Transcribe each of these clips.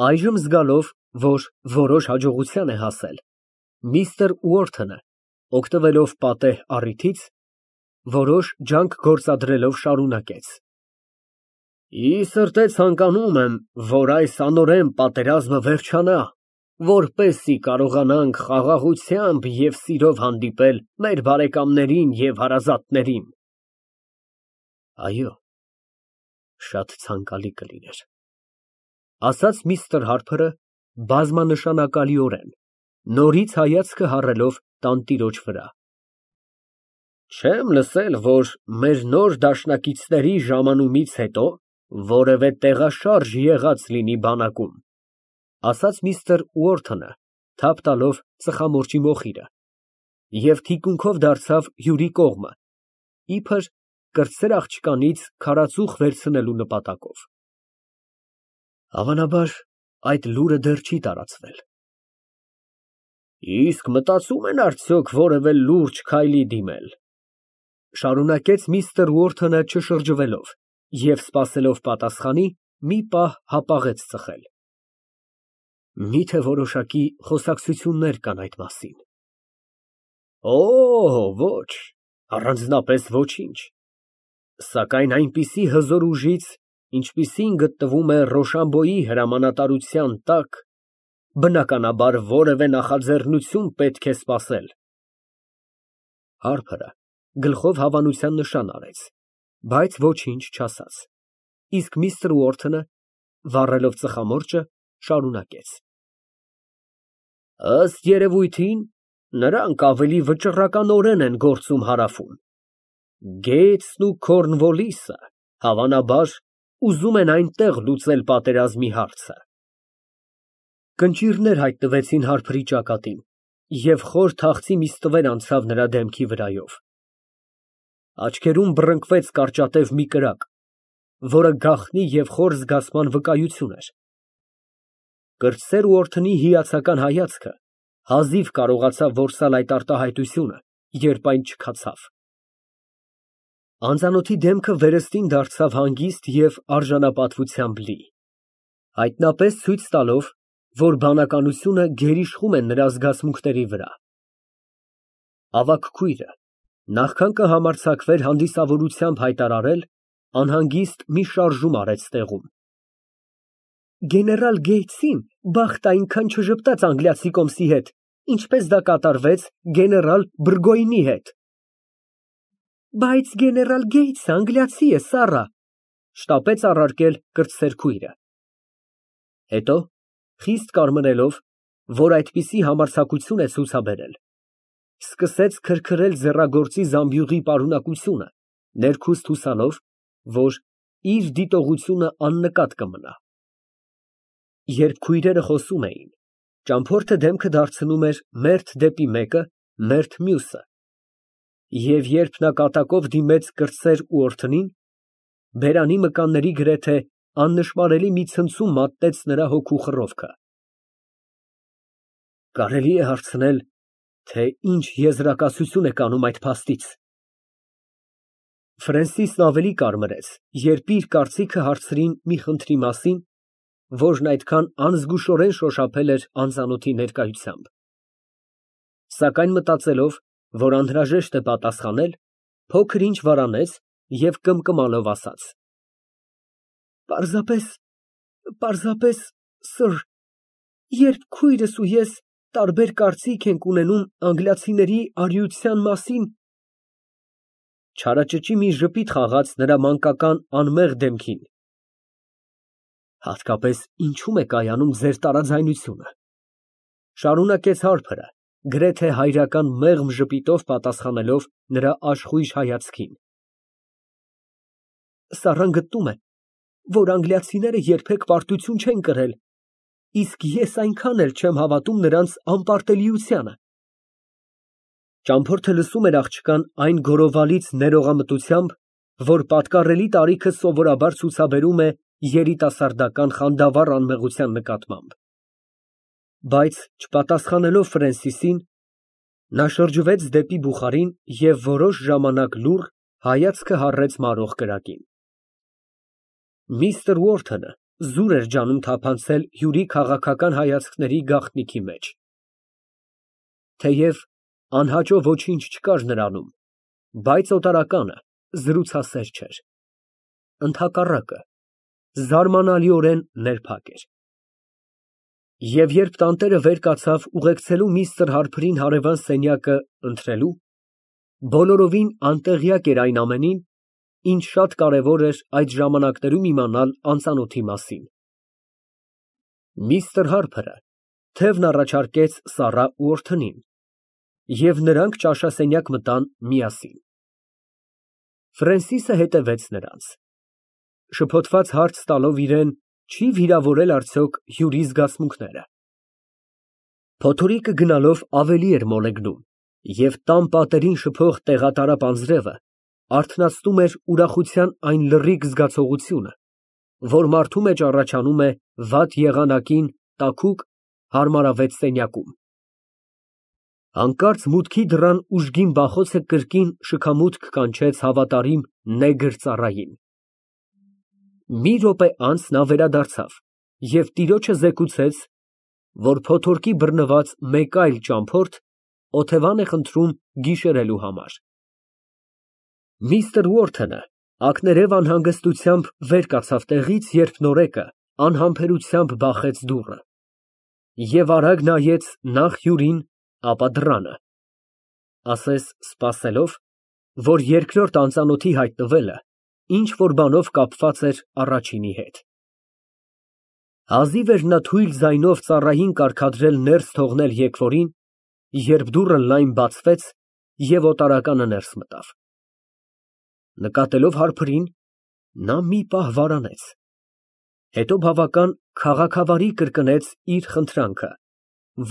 Այժմ զգալով, որ որոշ հաջողության է հասել, միստր Ուորթոնը, օգտվելով պատեհ առիթից, որոշ ջանք գործադրելով շարունակեց. Ի սրտե ցանկանում եմ, որ այս անօրեն պատերազմը վերջանա, որպեսզի կարողանանք խաղաղությամբ և սիրով հանդիպել մեր բարեկամներին և հարազատներին։ Այո, շատ ցանկալի կլիներ, ասաց միստր Հարփրը բազմանշանակալիորեն, նորից հայացքը հառելով տանտիրոջ վրա։ Չեմ լսել, որ մեր նոր դաշնակիցների ժամանումից հետո որևէ տեղաշարժ եղած լինի բանակում, ասաց միստր Ուորթոնը, թափ տալով ծխամորճի մոխիրը, և թիկունքով դարձավ հյուրի կողմը, իբր կրտսեր աղջկանից քարածուխ վերցնելու նպատակով։ Հավանաբար, այդ լուրը դեռ չի տարածվել։ Իսկ մտածում են արդյոք որևէ լուրջ քայլի դիմել, շարունակեց միստր Ուորթոնը չշրջվելով և սպասելով պատասխանի, մի պահ հապաղեց ծխել։ Միթե որոշակի խոսակցություններ կան այդ մասին։ Ոչ, առանձնապես ոչինչ, սակայն այնպիսի հզոր ուժից, ինչպիսին գտնվում է Ռոշամբոյի հրամանատարության տակ, բնականաբար որևէ նախաձեռնություն պետք է սպասել։ Հարփրը գլխով հավանության նշան արեց, բայց ոչինչ չասաց, իսկ միստր Ուորթոնը, վառելով ծխամորճը, շարունակեց. Ըստ երևույթին, նրանք ավելի վճռականորեն են գործում հարավում։ Գեյթսն ու Քորնվոլիսը, հավանաբար, ուզում են այնտեղ լուծել պատերազմի հարցը։ Կնճիռներ հայտնվեցին Հարփրի ճակատին, և խոր թախծի մի ստվեր անցավ նրա դեմքի վրայով։ Աչքերում բռնկվեց կարճատև մի կրակ, որը գաղտնի և խոր զգացման վկայություն էր։ Կրտսեր Ուորթոնի հիացական հայացքը հազիվ կարողացավ որսալ այդ արտահայտությունը, երբ այն չքացավ։ Անծանոթի դեմքը վերստին դարձավ հանգիստ և արժանապատվությամբ լի, հայտնապես ցույց տալով, որ բանականությունը գերիշխում է նրա զգացմունքների վրա։ Ավագ քույրը, նախքան կհամարձակվեր հանդիսավորությամբ հայտարարել, անհանգիստ մի շարժում արեց տեղում։ Գեներալ Գեյթսին բախտը այնքան չժպտաց անգլիացի կոմսի հետ, ինչպես դա կատարվեց գեներալ Բուրգոյնի հետ։ Բայց գեներալ Գեյթսը անգլիացի է, սառա, շտապեց առարկել կրտսեր քույրը։ Հետո, խիստ կարմրելով, որ այդպիսի համարձակություն է ցուցաբերել, սկսեց քրքրել ձեռագործի զամբյուղի պարունակությունը, ներքուստ հուսալով, որ իր դիտողությունը աննկատ կմնա։ Երբ քույրերը խոսում էին, ճամփորդը դեմքը դարձնում էր մերթ դեպի մեկը, մերթ մյուսը, և երբ նա կատակով դիմեց կրտսեր Ուորթոնին, բերանի մկանների գրեթե աննշմարելի մի ցնցում մատնեց նրա հոգու խռովքը։ Կարելի է հարցնել, թե ինչ եզրակացություն եք անում այդ փաստից։ Ֆրենսիսն ավելի կարմրեց, երբ իր կարծիքը հարցրին մի խնդրի մասին, որն այդքան անզգուշորեն շոշափել էր անծանոթի ներկայությամբ։ Սակայն մտածելով, որ անհրաժեշտ է պատասխանել, փոքր ինչ վարանեց և կմկմալով ասաց. Պարզապես, սըր, երբ քույրս ու ես տարբեր կարծիք ենք ունենում անգլիացիների արիության մասին… Չարաճճի մի ժպիտ խաղաց նրա մանկական անմեղ դեմքին։ Հատկապես ինչու՞մ է կայանում ձեր տարաձայնությունը, շարունակեց Հարփրը, գրեթե հայրական մեղմ ժպիտով պատասխանելով նրա աշխույժ հայացքին։ Սառան գտնում է, որ անգլիացիները երբեք պարտություն չեն կրել, իսկ ես այնքան էլ չեմ հավատում նրանց անպարտելիությանը։ Ճամփորդը լսում էր աղջկան այն գորովալից ներողամտությամբ, որ պատկառելի տարիքը սովորաբար ցուցաբերում է երիտասարդական խանդավառ անմեղության նկատմամբ։ Բայց չպատասխանելով Ֆրենսիսին, նա շրջվեց դեպի բուխարին և որոշ ժամանակ լուռ հայացքը հառեց մարող կրակին։ Միստր Ուորթոնը զուր էր ջանում թափանցել հյուրի քաղաքական հայացքների գաղտնիքի մեջ։ Թեև անհաճո ոչինչ չկար նրանում, բայց օտարականը զրուցասեր չէր։ Ընդհակառակը, զարմանալիորեն ներփակ էր։ Եվ երբ տանտերը վեր կացավ ուղեկցելու միստր Հարփրին հարևան սենյակը ընթրելու, բոլորովին անտեղյակ էր այն ամենին, ինչ շատ կարևոր էր այդ ժամանակներում իմանալ անծանոթի մասին։ Միստր Հարփրը թևն առաջարկեց Սառա ու Օրթնին, և նրանք ճաշասենյակ մտան միասին։ Ֆրենսիսը հետևեց նրանց, շփոթված հարց տալով իրան, չի վիրավորել արդյոք հյուրի զգացմունքները։ Փոթորիկը գնալով ավելի էր մոլեգնում, և տան պատերին շփող տեղատարապ անձրևը արթնացնում էր ուրախության այն լռիկ զգացողությունը, որ մարդու մեջ առաջանում է վատ եղանակին տաքուկ, հարմարավետ սենյակում։ Հանկարծ մուտքի դռան ուժգին բախոցը կրկին շքամուտք կանչեց հավատարիմ նեգր ծառային։ Մի րոպե անց նա վերադարձավ և տիրոջը զեկուցեց, որ փոթորկի բռնված մեկ այլ ճամփորդ օթևան է խնդրում գիշերելու համար։ Միստր Ուորթոնը ակներև անհանգստությամբ վեր կացավ տեղից, երբ նորեկը անհամբերությամբ բախեց դուռը և արագ նայեց նախ հյուրին, ապա դռանը, ասես սպասելով, որ երկրորդ անծանոթի հայտնվելը ինչ֊որ բանով կապված էր առաջինի հետ։ Հազիվ էր նա թույլ ձայնով ծառային կարգադրել ներս թողնել եկվորին, երբ դուռը լայն բացվեց, և օտարականը ներս մտավ։ Նկատելով Հարփրին, նա մի պահ վարանեց, հետո բավական քաղաքավարի կրկնեց իր խնդրանքը,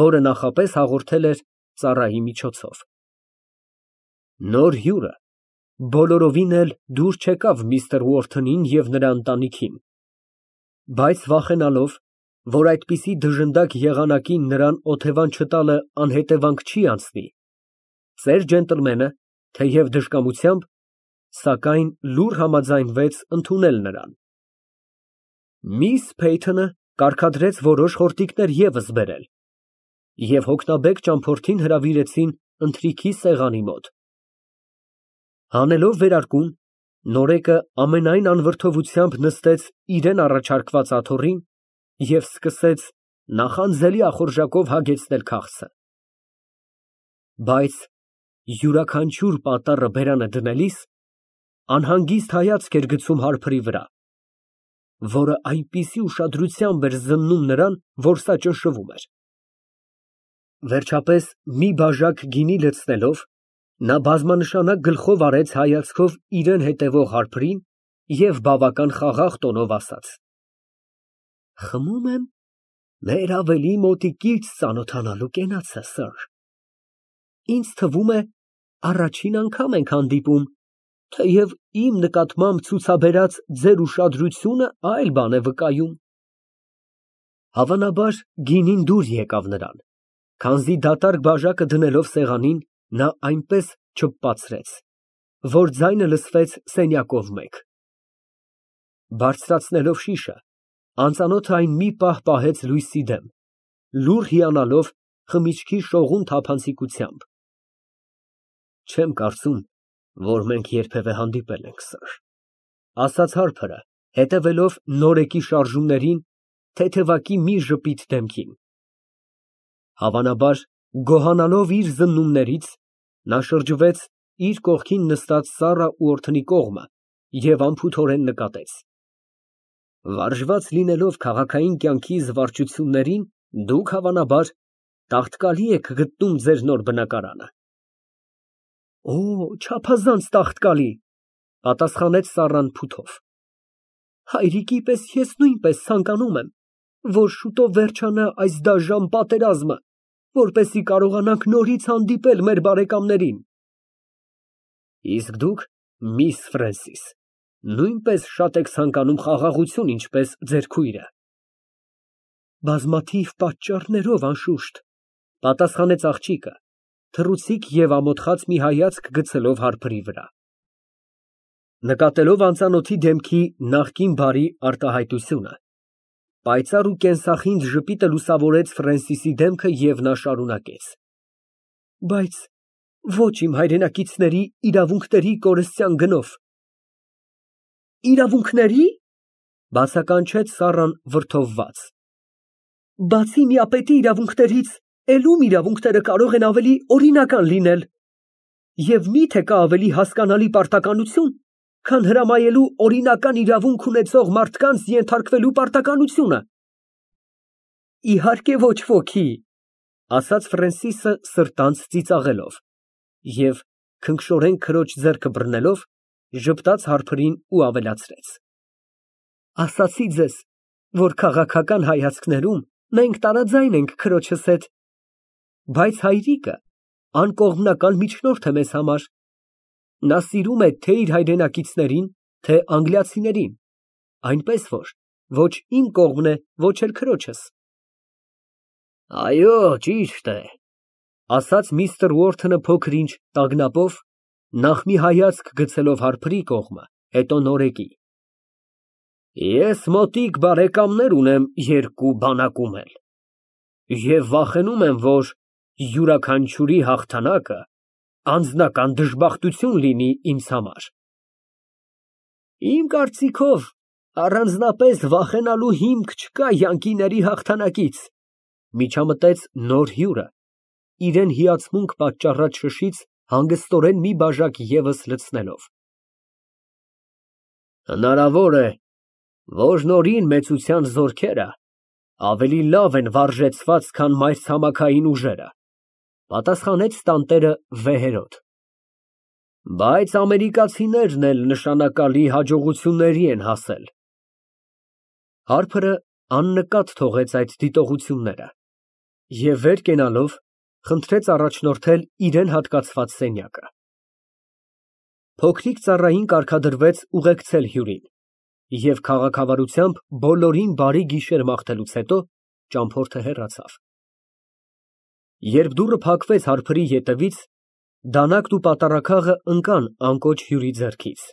որը նախապես հաղորդել էր ծառայի միջոցով։ Նոր հյուրը բոլորովին էլ դուր չեկավ միստր Ուորթոնին և նրա ընտանիքին, բայց վախենալով, որ այդպիսի դժնդակ եղանակին նրան օթևան չտալը անհետևանք չի անցնի, ծեր ջենտլմենը, թեև դժկամությամբ, սակայն լուռ համաձայնվեց ընդունել նրան։ Միս Փեյթոնը կարգադրեց որոշ խորտիկներ ևս բերել, և հոգնաբեկ ճամփորդին հրավիրեցին ընթրիքի սեղանի մոտ։ Հանելով վերարկուն, նորեկը ամենայն անվրդովությամբ նստեց իրան առաջարկված աթոռին և սկսեց նախանձելի ախորժակով հագեցնել քաղցը։ Բայց յուրաքանչյուր պատառը բերանը դնելիս անհանգիստ հայացք էր գցում Հարփրի վրա, որը այնպիսի ուշադրությամբ էր զննում նրան, որ սա ճնշվում էր։ Վերջապես, մի բաժակ գինի լցնելով, նա բազմանշանակ գլխով արեց հայացքով իրան հետևող Հարփրին և բավական խաղաղ տոնով ասաց. «Խմում եմ մեր ավելի մոտիկից ծանոթանալու կենացը, սըր։ Ինձ թվում է, առաջին անգամ ենք հանդիպում, թեև իմ նկատմամբ ցուցաբերած ձեր ուշադրությունը այլ բան է վկայում»։ Հավանաբար, գինին դուր եկավ նրան, քանզի դատարկ բաժակը դնելով սեղանին, նա այնպես չփպացրեց, որ ձայնը լսվեց սենյակով մեկ։ Բարձրացնելով շիշը, անծանոթը այն մի պահ պահեց լույսի դեմ, լուռ հիանալով խմիչքի շողուն թափանցիկությամբ։ Չեմ կարծում, որ մենք երբևէ հանդիպել ենք, սըր, ասաց Հարփրը, հետևելով նորեկի շարժումներին թեթևակի մի ժպիտ դեմքին։ Հավանաբար, գոհանալով իր զննումներից, նա շրջվեց իր կողքին նստած Սառա ու Օրթնի կողմը և անփութորեն նկատեց. «Վարժված լինելով քաղաքային կյանքի զվարճություններին, դուք, հավանաբար, տաղտկալի եք գտնում ձեր նոր բնակարանը»։ «Օ, չափազանց տաղտկալի», ֊ պատասխանեց Սառան փութով։ «Հայրիկի պես ես նույնպես ցանկանում եմ, որ շուտով վերջանա այս դաժան պատերազմը, որպեսզի կարողանանք նորից հանդիպել մեր բարեկամներին»։ «Իսկ դուք, միս Ֆրենսիս, նույնպես շատ եք ցանկանում խաղաղություն, ինչպես ձեր քույրը»։ «Բազմաթիվ պատճառներով, անշուշտ», ֊ պատասխանեց աղջիկը, թռուցիկ և ամոթխած մի հայացք գցելով Հարփրի վրա։ Նկատելով անծանոթի դեմքի նախկին բարի արտահայտությունը, Պայծառ ու կենսախինդ ժպիտը լուսավորեց Ֆրենսիսի դեմքը և նա շարունակեց. Բայց ոչ իմ հայրենակիցների իրավունքների կորստյան գնով։ Իրավունքների՞։ Բացականչեց Սառան վրդովված։ Բացի միապետի իրավունքներից, էլ ում իրավունքները կարող են ավելի օրինական լինել։ Եվ մի՞թե կա ավելի հասկանալի պարտականություն, քան հրամայելու օրինական իրավունք ունեցող մարդկանց ենթարկվելու պարտականությունը։ Իհարկե ոչ ոքի, ասաց Ֆրենսիսը սրտանց ծիծաղելով և քնքշորեն քրոջ ձեռքը բռնելով ժպտաց հարբերին ու ավելացրեց. Ասացի ձեզ, որ քաղաքական հայացքներում մենք տարաձայն ենք քրոջս հետ, բայց հայրիկը անկողմնակալ միջնորդ է մեզ համար։ Նա սիրում է թե իր հայրենակիցներին, թե անգլիացիներին, այնպես որ ոչ իմ կողմն է, ոչ էլ քրոջս։ Այո, ճիշտ է, ասաց միստր Ուորթոնը փոքր-ինչ տագնապով, նախ մի հայացք գցելով հարբերի կողմը, հետո նորեկի։ Ես մոտիկ բարեկամներ ունեմ երկու բանակում էլ, և վախենում եմ, որ յուրաքանչյուրի հաղթանակը անձնական դժբախտություն լինի ինձ համար։ Իմ կարծիքով, առանձնապես վախենալու հիմք չկա յանկիների հաղթանակից, միջամտեց նոր հյուրը, իրան հիացմունք պատճառած շշից հանգստորեն մի բաժակ ևս լցնելով։ Հնարավոր է, որ նորին մեծության զորքերը ավելի լավ են վարժեցված, քան մայրցամաքային ուժերը, պատասխանեց տանտերը վեհերոդ։ Բայց ամերիկացիներն էլ նշանակալի հաջողությունների են հասել։ Հարբերը աննկատ թողեց այդ դիտողությունները և վեր կենալով խնդրեց առաջնորդել իրան հատկացված սենյակը։ Փոքրիկ ծառային կարգադրվեց ուղեկցել հյուրին և քաղաքավարությամբ բոլորին բարի գիշեր մաղթելուց հետո ճամփորդը հեռացավ։ Երբ դուռը փակվեց հարբերի ետևից, դանակն ու պատառաքաղը ընկան անկոչ հյուրի ձեռքից։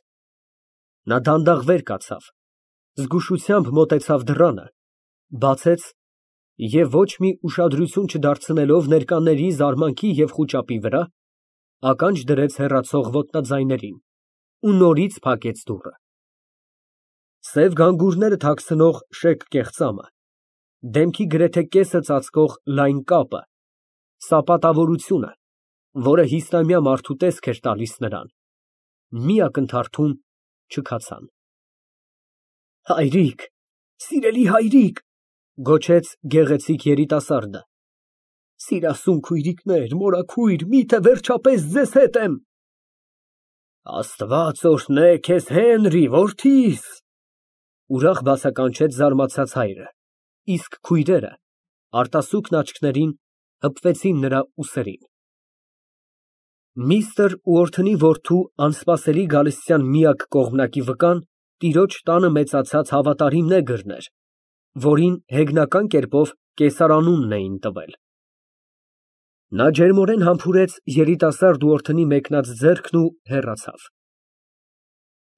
Նա դանդաղ վեր կացավ, զգուշությամբ մոտեցավ դռանը, բացեց և ոչ մի ուշադրություն չդարձնելով ներկաների զարմանքի և խուճապի վրա, ականջ դրեց հեռացող ոտնաձայներին ու նորից փակեց դուռը։ Սև գանգուրները թաքցնող շեկ կեղծամը, դեմքի գրեթե կեսը ծածկող լայն կապը, սապատավորությունը, որը հիսնամյա մարդու տեսք էր տալիս նրան, մի ակնթարթում չքացան։ Հայրիկ, սիրելի հայրիկ, գոչեց գեղեցիկ երիտասարդը, սիրասուն քույրիկներ, մորաքույր, միթե վերջապես ձեզ հետ եմ։ Աստված օրհնե քեզ, Հենրի, որդիս, ուրախ բացականչեց զարմացած հայրը, իսկ քույրերը արտասուքն աչքներին հպվեցին նրա ուսերին։ Միստր Ուորթոնի որդու անսպասելի գալստյան միակ կողմնակի վկան տիրոջ տանը մեծացած հավատարիմ նեգրն էր, որին հեգնական կերպով կեսարանունն էին տվել։ Նա ջերմորեն համբուրեց երիտասարդ Ուորթոնի մեկնած ձեռքն ու հեռացավ։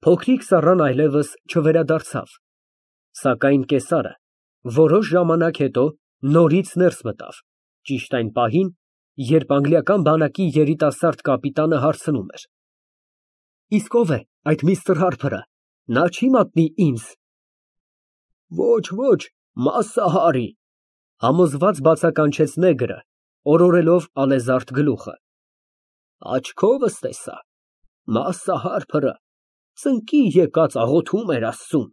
Փոքրիկ Սառան այլևս չվերադարձավ, սակայն կեսարը որոշ ժամանակ հետո նորից ներս մտավ, ճիշտ այն պահին, երբ անգլիական բանակի երիտասարդ կապիտանը հարցնում էր. Իսկ ո՞վ է այդ միստր Հարփերը, նա չի մատնի ինձ։ Ոչ, Մասսա Հարի, համոզված բացականչեց նեգրը, օրորելով ալեզարդ գլուխը։ Աչքովս տեսա, Մասսա Հարփերը ծնկի եկած աղոթում էր Աստծուն։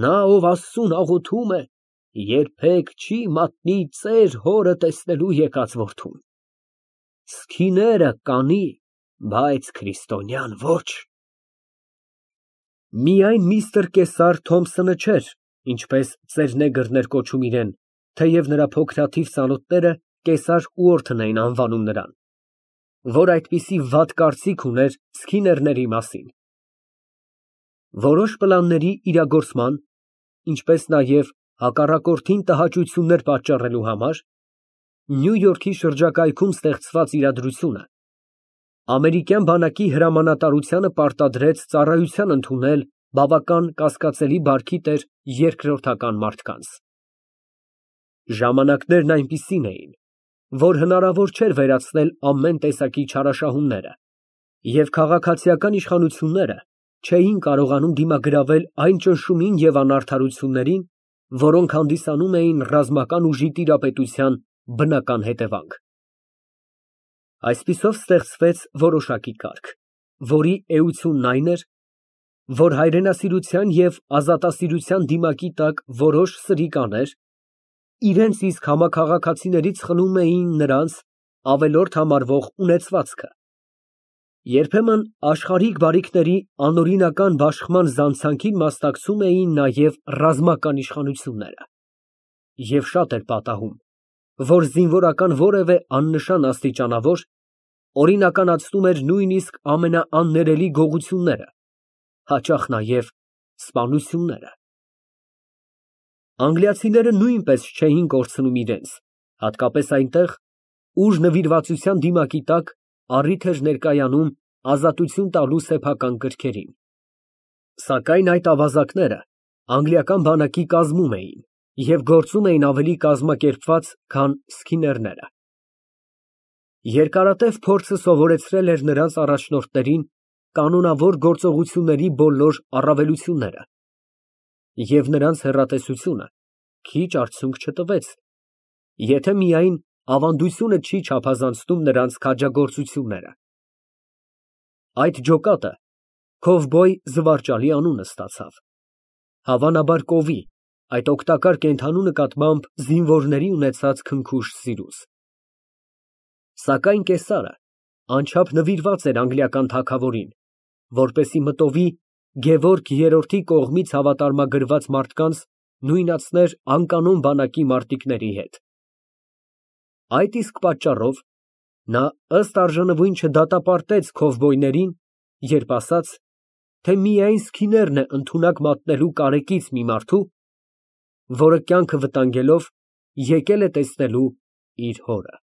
Նա, ով Աստծուն աղոթում է, երբեք չի մատնի ծեր հորը տեսնելու եկած որդուն։ Սքիները կանի, բայց քրիստոնյան ոչ։ Միայն միստր Կեսար Թոմփսոնը չէր, ինչպես ծեր նեգրն էր կոչում իրան, թեև նրա փոքրաթիվ ծանոթները Կեսար Ուորթն էին անվանում նրան, որ այդպիսի վատ կարծիք ուներ սքիներների մասին։ Որոշ պլանների իրագործման, ինչպես նաև հակառակորդին տհաճություններ պատճառելու համար Նյու Յորքի շրջակայքում ստեղծված իրադրությունը ամերիկյան բանակի հրամանատարությանը պարտադրեց ծառայության ընդունել բավական կասկածելի բարքի տեր երկրորդական մարդկանց։ Ժամանակներն այնպիսին էին, որ հնարավոր չէր վերացնել ամեն տեսակի չարաշահումները, և քաղաքացիական իշխանությունները չէին կարողանում դիմագրավել այն ճնշումին և անարդարություններին, որոնք հանդիսանում էին ռազմական ուժի տիրապետության բնական հետևանք։ Այսպիսով ստեղծվեց որոշակի կարգ, որի էությունն այն էր, որ հայրենասիրության և ազատասիրության դիմակի տակ որոշ սրիկաներ իրենց իսկ համաքաղաքացիներից խլում էին նրանց ավելորդ համարվող ունեցվածքը, երբեմն աշխարհիկ բարիքների անօրինական բաշխման զանցանքին մասնակցում էին նաև ռազմական իշխանությունները, և շատ էր պատահում, որ զինվորական որևէ աննշան աստիճանավոր օրինականացնում էր նույնիսկ ամենաաններելի գողությունները, հաճախ նաև սպանությունները։ Անգլիացիները նույնպես չէին կորցնում իրենց, հատկապես այնտեղ, ուր նվիրվածության դիմակի տակ առիթ էր ներկայանում ազատություն տալու սեփական կրքերին։ Սակայն այդ ավազակները անգլիական բանակի կազմում էին և գործում էին ավելի կազմակերպված, քան սքիներները։ Երկարատև փորձը սովորեցրել էր նրանց առաջնորդներին կանոնավոր գործողությունների բոլոր առավելությունները, և նրանց հեռատեսությունը քիչ արդյունք չտվեց, եթե միայն ավանդությունը չի չափազանցնում նրանց քաջագործությունները։ Այդ ջոկատը քովբոյ զվարճալի անուն ստացավ, հավանաբար կովի, այդ օգտակար կենդանու նկատմամբ զինվորների ունեցած քնքուշ սիրուց։ Սակայն կեսարը անչափ նվիրված էր անգլիական թագավորին, որպեսզի մտովի Գևորգ III-ի կողմից հավատարմագրված մարդկանց նույնացներ անկանոն բանակի մարտիկների հետ։ Այդ իսկ պատճառով նա ըստ արժանվույն չդատապարտեց քովբոյներին, երբ ասաց, թե միայն սքիներն է ընդունակ մատնելու կարեկից մի մարդու, որը կյանքը վտանգելով եկել է տեսնելու իր հորը։